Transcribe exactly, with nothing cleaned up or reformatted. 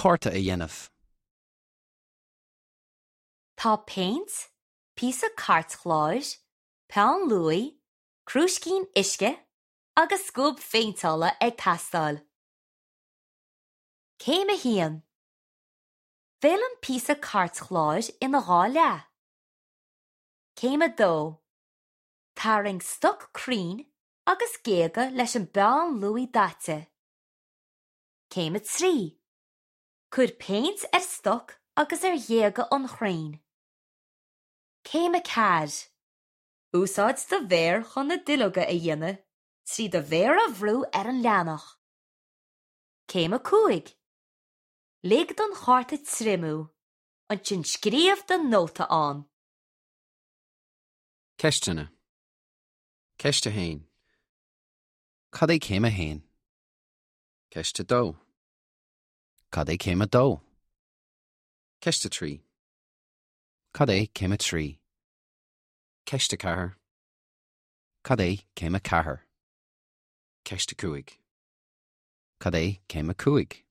Cárta a dhéanamh. Tá péint, píosa cairtchláir, peann luaidhe, crúiscín uisce agus scuab phéinteála ag teastáil. Céim a haon. Fill an píosa cairtchláir ina dhá leath. Céim a dó. Tarraing stoc crainn agus géaga leis an bpeann luaidhe daite. Céim a trí. Cuir péint ar stoc agus ar ghéaga an chrainn. Céim a ceathair. Úsáid do mhéar chun na duilleoga a dhéanamh trí do mhéar a bhrú ar an leathanach. Céim a cúig. Lig don chárta triomú, ansin scríobh do nóta ann. Ceisteanna. Ceist a haon. Cad é céim a haon? Ceist a dó. Cad é céim a dó? Ceist a trí. Cad é céim a trí? Ceist a ceathair. Cad é céim a ceathair? Ceist a cúig. Cad é céim a cúig?